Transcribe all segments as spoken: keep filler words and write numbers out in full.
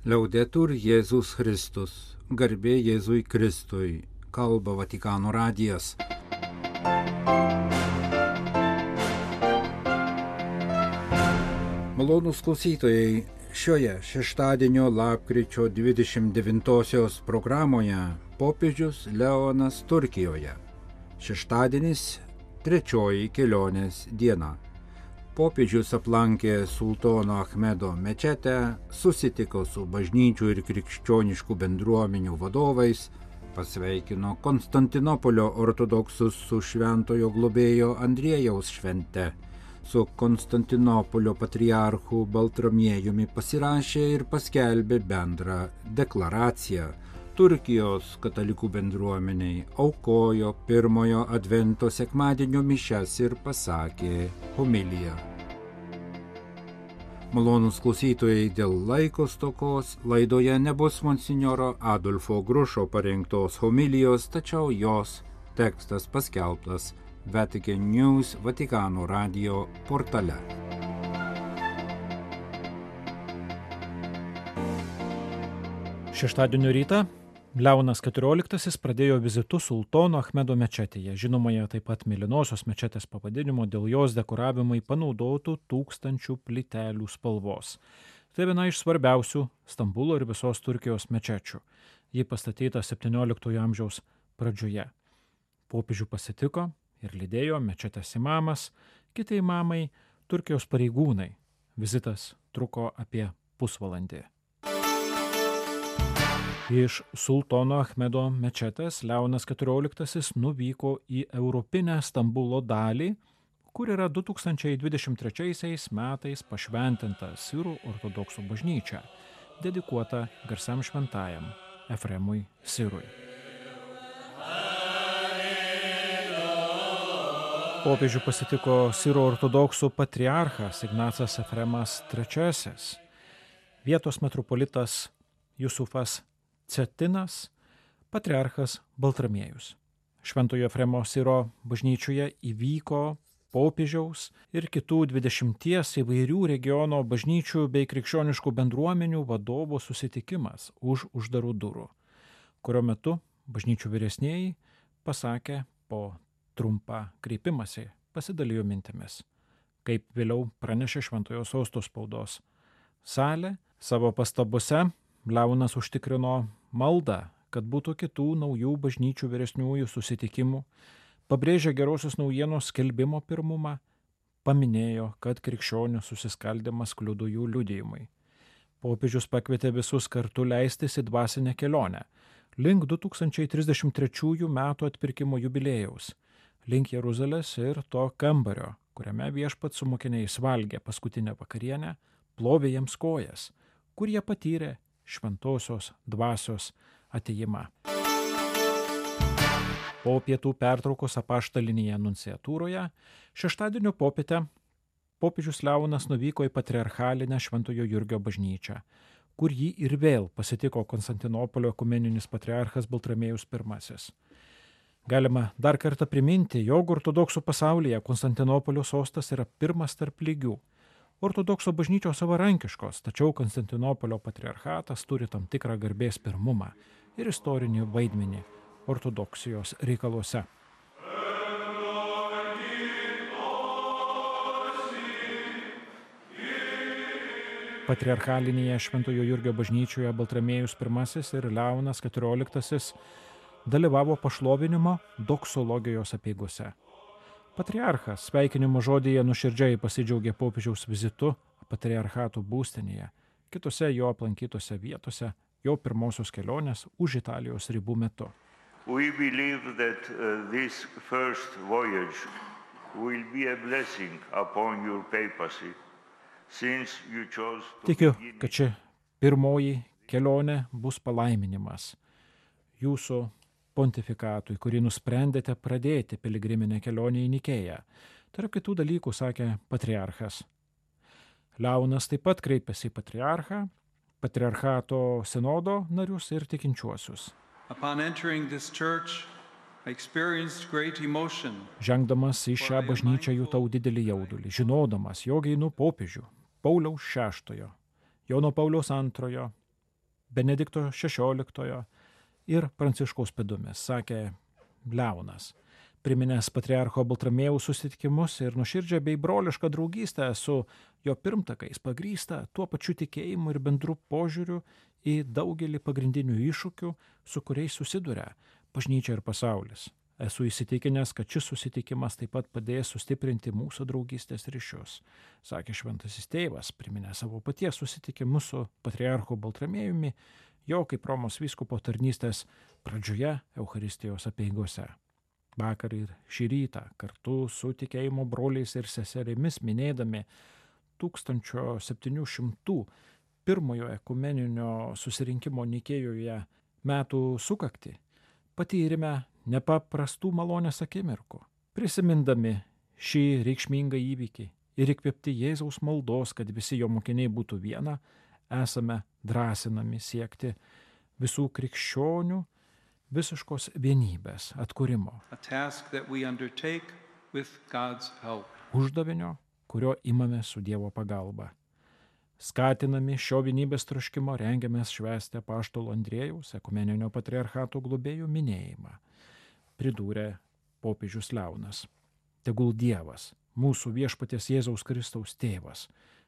Liaudetur Jėzus Kristus, garbė Jėzui Kristui, kalba Vatikano radijas. Malonūs klausytojai, šioje šeštadienio lapkričio dvidešimt devintosios programoje popiežius Leonas Turkijoje. Šeštadienis trečioji kelionės diena. Popiežius aplankė sultono Achmedo mečetę, susitiko su bažnyčių ir krikščioniškų bendruomenių vadovais, pasveikino Konstantinopolio ortodoksus su šventojo globėjo Andriejaus švente, su Konstantinopolio patriarchu Baltramiejumi pasirašė ir paskelbė bendrą deklaraciją. Turkijos katalikų bendruomeniai aukojo pirmojo advento sekmadienio mišias ir pasakė homiliją. Malonūs klausytojai, dėl laiko stokos laidoje nebus monsinjoro Adolfo Grušo parengtos homilijos, tačiau jos tekstas paskelbtas Vatican News Vatikano radio portale. Šeštadienio rytą Leonas keturioliktasis pradėjo vizitu sultono Achmedo mečetėje, žinomoje taip pat mėlynosios mečetės pavadinimo dėl jos dekoravimui panaudotų tūkstančių plytelių spalvos. Tai viena iš svarbiausių Stambulo ir visos Turkijos mečečių. Ji pastatyta septynioliktojo amžiaus pradžioje. Popiežių pasitiko ir lydėjo mečetės imamas, kiti imamai, Turkijos pareigūnai. Vizitas truko apie pusvalandį. Iš sultono Achmedo mečetės Leonas keturioliktasis nuvyko į europinę Stambulo dalį, kur yra du tūkstančiai dvidešimt trečiaisiais metais pašventinta sirų ortodoksų bažnyčia, dedikuota garsiam šventajam Efremui Sirui. Popiežių pasitiko sirų ortodoksų patriarchas Ignacas Efremas trečiasis, vietos metropolitas Jusufas Cetinas, patriarchas Baltramiejus. Šventojo Efremo Siro bažnyčioje įvyko popiežiaus ir kitų dvidešimties įvairių regiono bažnyčių bei krikščioniškų bendruomenių vadovų susitikimas už uždarų durų, kurio metu bažnyčių vyresnieji pasakė po trumpą kreipimąsi, pasidalijo mintimis. Kaip vėliau pranešė Šventojo Sosto spaudos salė, savo pastabose Leonas užtikrino maldą, kad būtų kitų naujų bažnyčių vyresniųjų susitikimų, pabrėžė gerosios naujienos skelbimo pirmumą, paminėjo, kad krikščionių susiskaldimas kliudo jų liudijimui. Popiežius pakvietė visus kartu leistis į dvasinę kelionę, link du tūkstančiai trisdešimt trečiųjų metų atpirkimo jubiliejaus, link Jeruzalės ir to kambario, kuriame viešpats su mokiniais valgė paskutinę vakarienę, plovė jiems kojas, kur jie patyrė šventosios dvasios atėjimą. Po pietų pertraukos apaštalinėje nunciatūroje šeštadienio popietę popiežius Leonas nuvyko į patriarchalinę Šventojo Jurgio bažnyčią, kur jį ir vėl pasitiko Konstantinopolio ekumeninis patriarchas Baltramiejus pirmasis. Galima dar kartą priminti, jog ortodoksų pasaulyje Konstantinopolio sostas yra pirmas tarp lygių. Ortodokso bažnyčios savarankiškos, tačiau Konstantinopolio patriarchatas turi tam tikrą garbės pirmumą ir istorinį vaidmenį ortodoksijos reikaluose. Patriarchalinėje Šventojo Jurgio bažnyčioje Baltramiejus pirmasis ir Leonas keturioliktasis dalyvavo pašlovinimo doksologijos apeigose. Patriarchas sveikinimo žodyje nuoširdžiai pasidžiaugė popiežiaus vizitu patriarchato būstinėje, kitose jo aplankytose vietose, jo pirmosios kelionės už Italijos ribų metu. We believe that uh, this first voyage will be a blessing upon your papacy, since you chose to Tikiu, begin... kad ši pirmoji kelionė bus palaiminimas jūsų pontifikatui, kurį nusprendėte pradėti piligriminę kelionę į Nikėją. Tarp kitų dalykų sakė patriarchas. Leonas taip pat kreipėsi į patriarchą, patriarchato sinodo narius ir tikinčiuosius. Žengdamas į šią bažnyčią jutau didelį jaudulį, žinodamas, jog einu popiežių Pauliaus šeštojo, Jono Pauliaus antrojo, Benedikto šešioliktojo ir Pranciškaus pėdomis, sakė Leonas, priminęs patriarcho Baltramiejaus susitikimus ir nuoširdžią bei brolišką draugystę su jo pirmtakais pagrįstą tuo pačiu tikėjimu ir bendru požiūriu į daugelį pagrindinių iššūkių, su kuriais susiduria bažnyčia ir pasaulis. Esu įsitikinęs, kad šis susitikimas taip pat padės sustiprinti mūsų draugystės ryšius, sakė šventasis tėvas, priminęs savo paties susitikimus su patriarchu Baltramiejumi, jo kaip Romos vyskupo tarnystės pradžioje Eucharistijos apeigose. Vakar ir šį rytą kartu su tikėjimo broliais ir seserimis minėdami tūkstančio septynių šimtų pirmojo ekumeninio susirinkimo Nikėjoje metų sukaktį patyrėme nepaprastų malonės akimirkų. Prisimindami šį reikšmingą įvykį ir įkvėpti Jėzaus maldos, kad visi jo mokiniai būtų viena, esame drąsinami siekti visų krikščionių visiškos vienybės atkūrimo. Uždavinio, kurio imame su Dievo pagalba. Skatinami šio vienybės troškimo rengiamės švęsti apaštalo Andriejaus ekumeninio patriarchato globėjų minėjimą, pridūrė popiežius Leonas. Tegul Dievas, mūsų viešpaties Jėzaus Kristaus tėvas,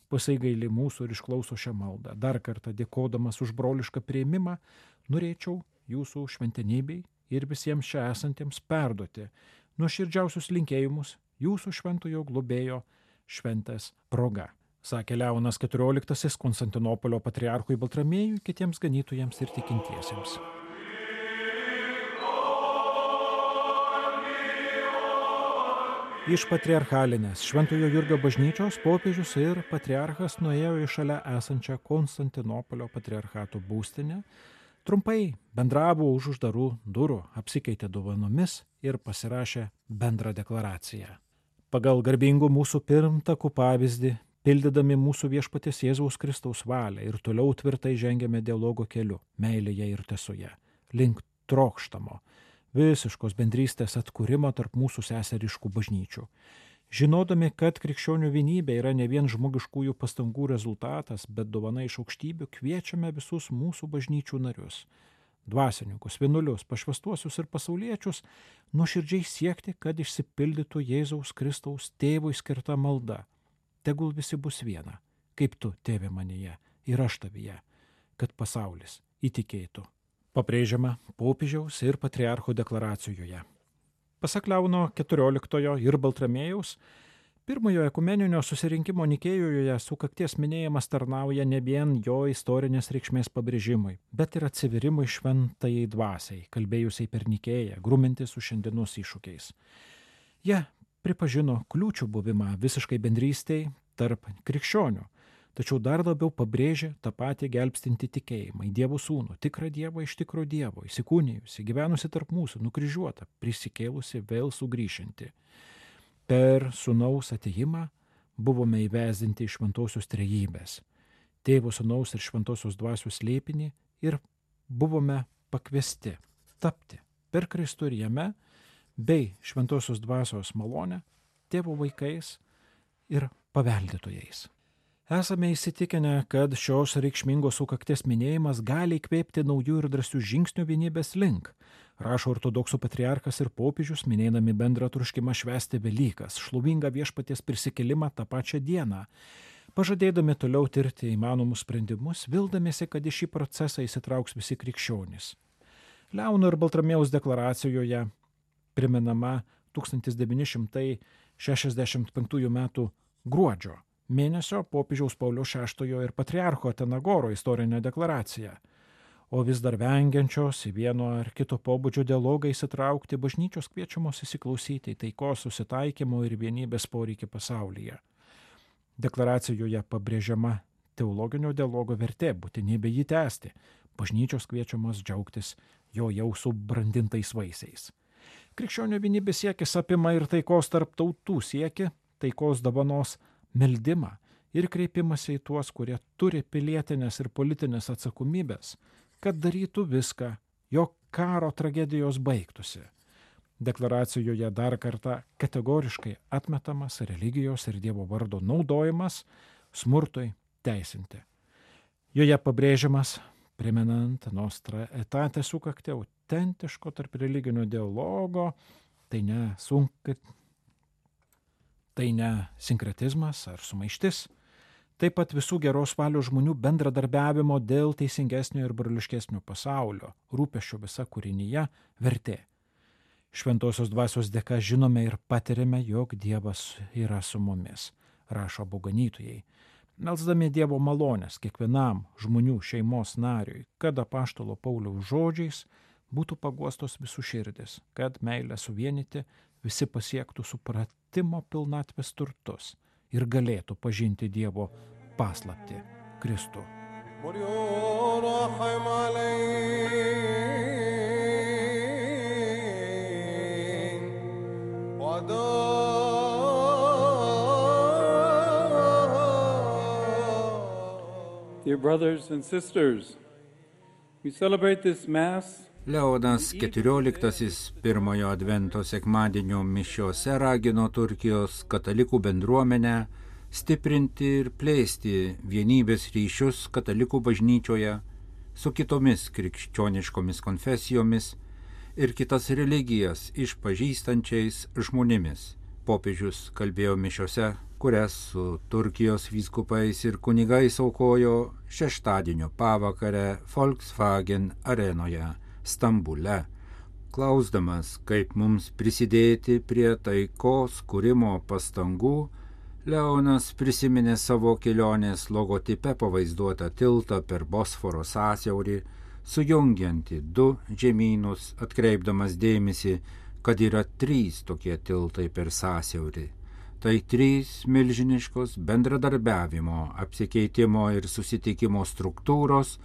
pasigaili mūsų ir išklauso šią maldą. Dar kartą dėkodamas už brolišką priėmimą, norėčiau jūsų šventenybei ir visiems čia esantiems perduoti nuoširdžiausius linkėjimus jūsų šventojo globėjo šventės proga, sakė Leonas keturioliktasis Konstantinopolio patriarchui Baltramiejui, kitiems ganytojams ir tikintiesiems. Iš patriarchalinės Šventojo Jurgio bažnyčios popiežius ir patriarchas nuėjo į šalia esančią Konstantinopolio patriarchato būstinę, trumpai bendravo už uždarų durų, apsikeitė dovanomis ir pasirašė bendrą deklaraciją. Pagal garbingų mūsų pirmtakų pavyzdį, pildydami mūsų viešpaties Jėzaus Kristaus valią ir toliau tvirtai žengėme dialogo keliu, meilėje ir tiesoje, link trokštamo visiškos bendrystės atkūrimo tarp mūsų seseriškų bažnyčių. Žinodami, kad krikščionių vienybė yra ne vien žmogiškųjų pastangų rezultatas, bet dovana iš aukštybių, kviečiame visus mūsų bažnyčių narius, dvasininkus, vienuolius, pašvęstuosius ir pasauliečius, nuoširdžiai siekti, kad išsipildytų Jėzaus Kristaus tėvui skirta malda. Tegul visi bus viena, kaip tu, tėve manyje, ir aš tavyje, kad pasaulis įtikėtų. Pabrėžiama popiežiaus ir patriarcho deklaracijoje. Pasak Leono keturioliktojo ir Baltramiejaus, pirmojo ekumeninio susirinkimo Nikėjoje sukakties minėjimas tarnauja ne vien jo istorinės reikšmės pabrėžimui, bet ir atsivirimui šventajai dvasiai, kalbėjusiai per Nikėją, grumintis su šiandienos iššūkiais. Jie pripažino kliūčių buvimą visiškai bendrystei tarp krikščionių, tačiau dar labiau pabrėžė tą patį gelbstinti tikėjimą į Dievo sūnų, tikrą Dievą iš tikro Dievo, įsikūnijusi, gyvenusi tarp mūsų, nukryžiuota, prisikėlusi, vėl sugrįžinti. Per sūnaus atėjimą buvome įvesdinti iš šventosios trejybės, tėvo, sūnaus ir šventosios dvasios slėpinį ir buvome pakviesti tapti per Kristų ir jame bei šventosios dvasios malonę tėvo vaikais ir paveldėtojais. Esame įsitikinę, kad šios reikšmingos sukakties minėjimas gali įkvėpti naujų ir drąsių žingsnių vienybės link, rašo ortodoksų patriarchas ir popiežius, minėdami bendrą troškimą švęsti Velykas, šlovingą viešpaties prisikėlimą tą pačią dieną, pažadėdami toliau tirti įmanomus sprendimus, vildamiesi, kad į šį procesą įsitrauks visi krikščionys. Leono ir Baltramiejaus deklaracijoje primenama tūkstantis devyni šimtai šešiasdešimt penktųjų metų gruodžio mėnesio popiežiaus Pauliaus šeštojo ir patriarcho Atenagoro istorinė deklaracija, o vis dar vengiančios į vieno ar kito pobūdžio dialogą įsitraukti bažnyčios kviečiamos įsiklausyti į taikos, susitaikymo ir vienybės poreikį pasaulyje. Deklaracijoje pabrėžiama teologinio dialogo vertė, būtinybė jį tęsti, bažnyčios kviečiamos džiaugtis jo jau subrandintais vaisiais. Krikščionių vienybės siekis apima ir taikos tarp tautų siekį, taikos dovanos meldimą ir kreipimąsi į tuos, kurie turi pilietinės ir politinės atsakomybės, kad darytų viską, jog karo tragedijos baigtųsi. Deklaracijoje dar kartą kategoriškai atmetamas religijos ir Dievo vardo naudojimas smurtui teisinti. Joje pabrėžiamas primenant Nostra Aetate sukaktį autentiško tarp religinio dialogo, tai ne, sunk... tai ne sinkretizmas ar sumaištis, taip pat visų geros valios žmonių bendradarbiavimo dėl teisingesnio ir broliškesnio pasaulio, rūpesčio visa kūrinyje vertė. Šventosios dvasios dėka žinome ir patiriame, jog Dievas yra su mumis, rašo abu ganytojai, melsdami Dievo malonės kiekvienam žmonių šeimos nariui, kad apaštalo Pauliaus žodžiais būtų paguostos visų širdis, kad meilę suvienyti visi pasiektų supratimo pilnatvės turtus ir galėtų pažinti Dievo paslaptį Kristų. Dear brothers and sisters, we celebrate this Mass. Leonas keturioliktasis pirmojo advento sekmadienio mišiose ragino Turkijos katalikų bendruomenę stiprinti ir plėsti vienybės ryšius katalikų bažnyčioje su kitomis krikščioniškomis konfesijomis ir kitas religijas išpažįstančiais žmonėmis. Popiežius kalbėjo mišiose, kurias su Turkijos vyskupais ir kunigais aukojo šeštadienio pavakarę Volkswagen arenoje Stambule, klausdamas, kaip mums prisidėti prie taikos kūrimo pastangų. Leonas prisiminė savo kelionės logotipe pavaizduotą tiltą per Bosforo sąsiaurį, sujungiantį du žemynus, atkreipdamas dėmesį, kad yra trys tokie tiltai per sąsiaurį. Tai trys milžiniškos bendradarbiavimo, apsikeitimo ir susitikimo struktūros,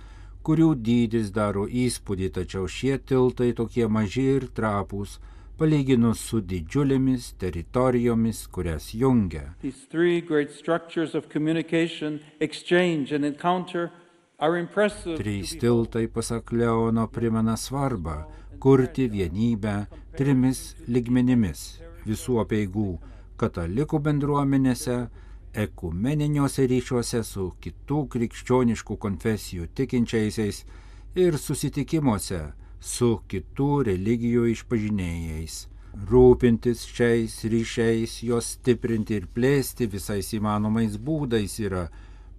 kurių dydis daro įspūdį, tačiau šie tiltai tokie maži ir trapūs, palyginus su didžiulėmis teritorijomis, kurias jungia. These three great structures of communication, exchange and encounter are impressive. Trys tiltai, pasak Leono, primena svarbą kurti vienybę trimis lygmenimis visų apeigų katalikų bendruomenėse, ekumeniniuose ryšiuose su kitų krikščioniškų konfesijų tikinčiaisiais ir susitikimuose su kitų religijų išpažinėjais. Rūpintis šiais ryšiais, juos stiprinti ir plėsti visais įmanomais būdais yra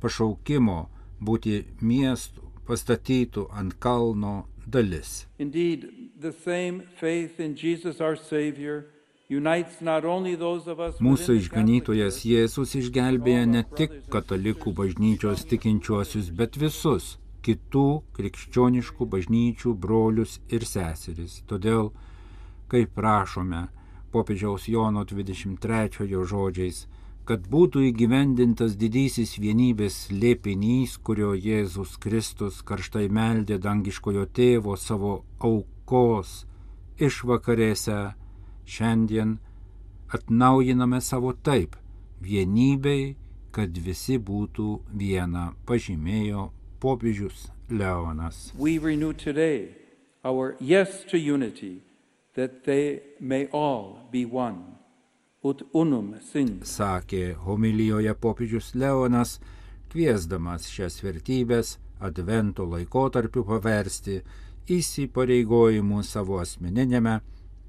pašaukimo būti miestų pastatytų ant kalno dalis. Indeed, the same faith in Jesus our Savior unites not only those of us. Mūsų išganytojas Jėzus išgelbėja ne tik katalikų bažnyčios tikinčiuosius, bet visus kitų krikščioniškų bažnyčių brolius ir seseris. Todėl, kaip prašome popiežiaus Jono dvidešimt trečiojo žodžiais, kad būtų įgyvendintas didysis vienybės slėpinys, kurio Jėzus Kristus karštai meldė dangiškojo tėvo savo aukos išvakarėse, šiandien atnaujiname savo taip vienybei, kad visi būtų viena, pažymėjo popiežius Leonas. We renew today our yes to unity, that they may all be one. Ut unum sint. Sakė homilijoje popiežius Leonas, kviesdamas šias vertybės advento laikotarpiu paversti įsipareigojimu savo asmeninėme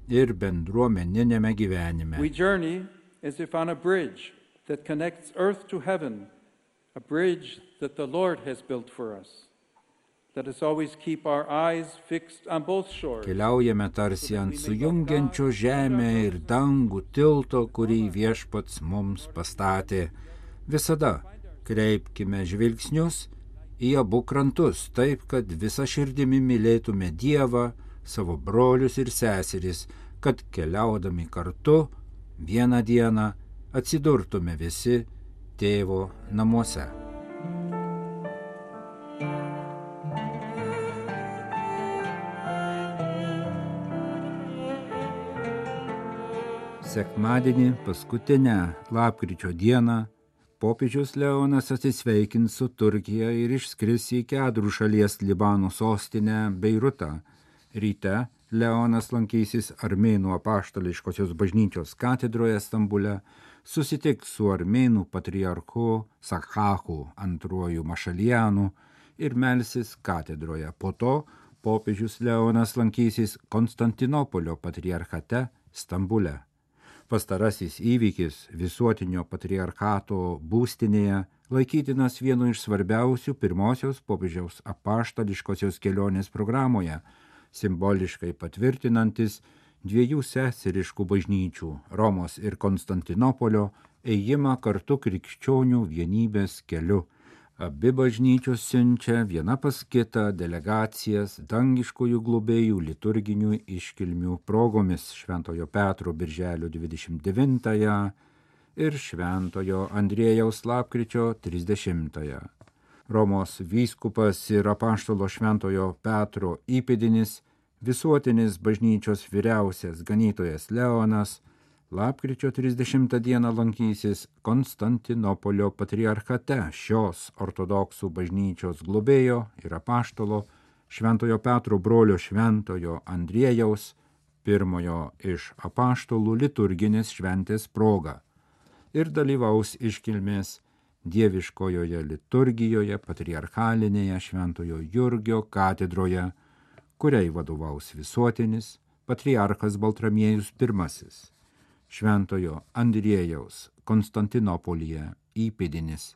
ir bendruomeninėme gyvenime. We journey as if on a bridge that connects earth to heaven, a bridge that the Lord has built for us. Let us always keep our eyes fixed on both shores. Keliaujame tarsi ant sujungiančio žemę ir dangų tilto, kurį Viešpats mums pastatė. Visada kreipkime žvilgsnius į abu krantus, taip, kad visa širdimi mylėtume Dievą, savo brolius ir seseris, kad keliaudami kartu vieną dieną atsidurtume visi Tėvo namuose. Sekmadienį, paskutinę lapkričio dieną, popiežius Leonas atsisveikins su Turkija ir išskris į Kedrų šalies Libano sostinę Beirutą. Ryte Leonas lankysis Armėnų apaštališkosios bažnyčios katedroje Stambule, susitiks su Armėnų patriarchu Sakhachu antruoju Mašalianu ir melsis katedroje. Po to popiežius Leonas lankysis Konstantinopolio patriarchate Stambule. Pastarasis įvykis visuotinio patriarchato būstinėje laikytinas vienu iš svarbiausių pirmosios popiežiaus apaštališkosios kelionės programoje, simboliškai patvirtinantis dviejų seseriškų bažnyčių Romos ir Konstantinopolio ėjimą kartu krikščionių vienybės keliu. Abi bažnyčios siunčia viena pas kitą delegacijas dangiškųjų globėjų liturginių iškilmių progomis Šventojo Petro birželio dvidešimt devintąją ir Šventojo Andriejaus lapkričio trisdešimtąją. Romos vyskupas ir apaštalo Šventojo Petro įpėdinis, visuotinis bažnyčios vyriausias ganytojas Leonas, lapkričio trisdešimtą dieną lankysis Konstantinopolio patriarchate šios ortodoksų bažnyčios globėjo ir apaštalo Šventojo Petro brolio Šventojo Andriejaus, pirmojo iš apaštalų liturginės šventės proga, ir dalyvaus iškilmės dieviškojoje liturgijoje patriarchalinėje Šventojo Jurgio katedroje, kuriai vadovaus visuotinis patriarchas Baltramiejus pirmasis, Šventojo Andriejaus Konstantinopolyje įpėdinis.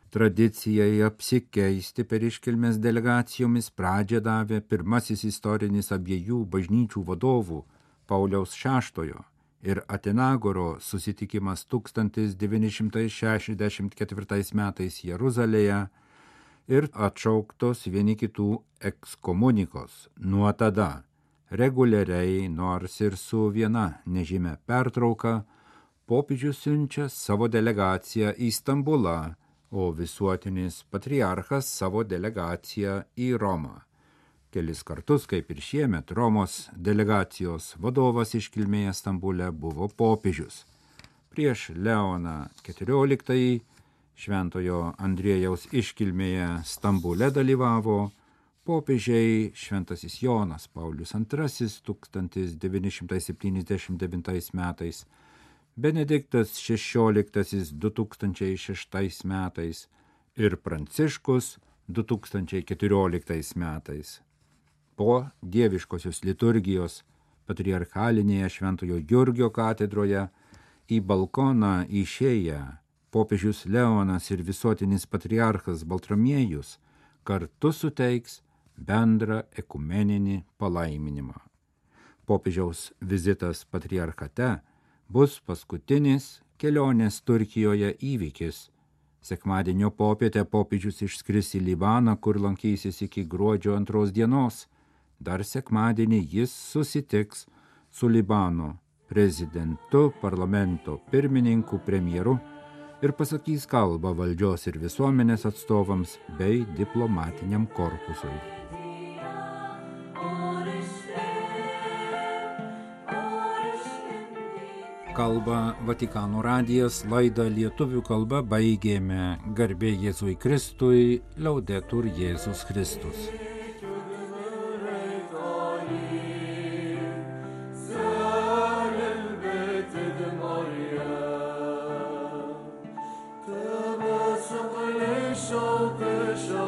Tradicijai apsikeisti per iškilmes delegacijomis pradžią davė pirmasis istorinis abiejų bažnyčių vadovų Pauliaus šeštojo ir Atenagoro susitikimas tūkstantis devyni šimtai šešiasdešimt ketvirtais metais Jeruzalėje ir atšauktos vieni kitų ekskomunikos. Nuo tada reguliariai, nors ir su viena nežymia pertrauka, popiežius siunčia savo delegaciją į Stambulą, o visuotinis patriarchas savo delegaciją į Romą. Kelis kartus, kaip ir šiemet, Romos delegacijos vadovas iškilmėje Stambule buvo popiežius. Prieš Leoną keturioliktąjį Šventojo Andriejaus iškilmėje Stambule dalyvavo popiežiai Šventasis Jonas Paulius antrasis tūkstantis devyni šimtai septyniasdešimt devintais metais, Benediktas šešioliktasis du tūkstančiai šeštais metais ir Pranciškus du tūkstančiai keturioliktais metais. Po dieviškosios liturgijos patriarchalinėje Šventojo Jurgio katedroje į balkoną išėję popiežius Leonas ir visuotinis patriarchas Baltramiejus kartu suteiks bendrą ekumeninį palaiminimą. Popiežiaus vizitas patriarchate bus paskutinis kelionės Turkijoje įvykis. Sekmadienio popietę popiežius išskris į Libaną, kur lankysis iki gruodžio antros dienos. Dar sekmadienį jis susitiks su Libano prezidentu, parlamento pirmininku, premjeru ir pasakys kalbą valdžios ir visuomenės atstovams bei diplomatiniam korpusui. Kalba Vatikano radijas, laidą lietuvių kalba baigėme. Garbė Jėzui Kristui, Laudetur Jėzus Kristus. Show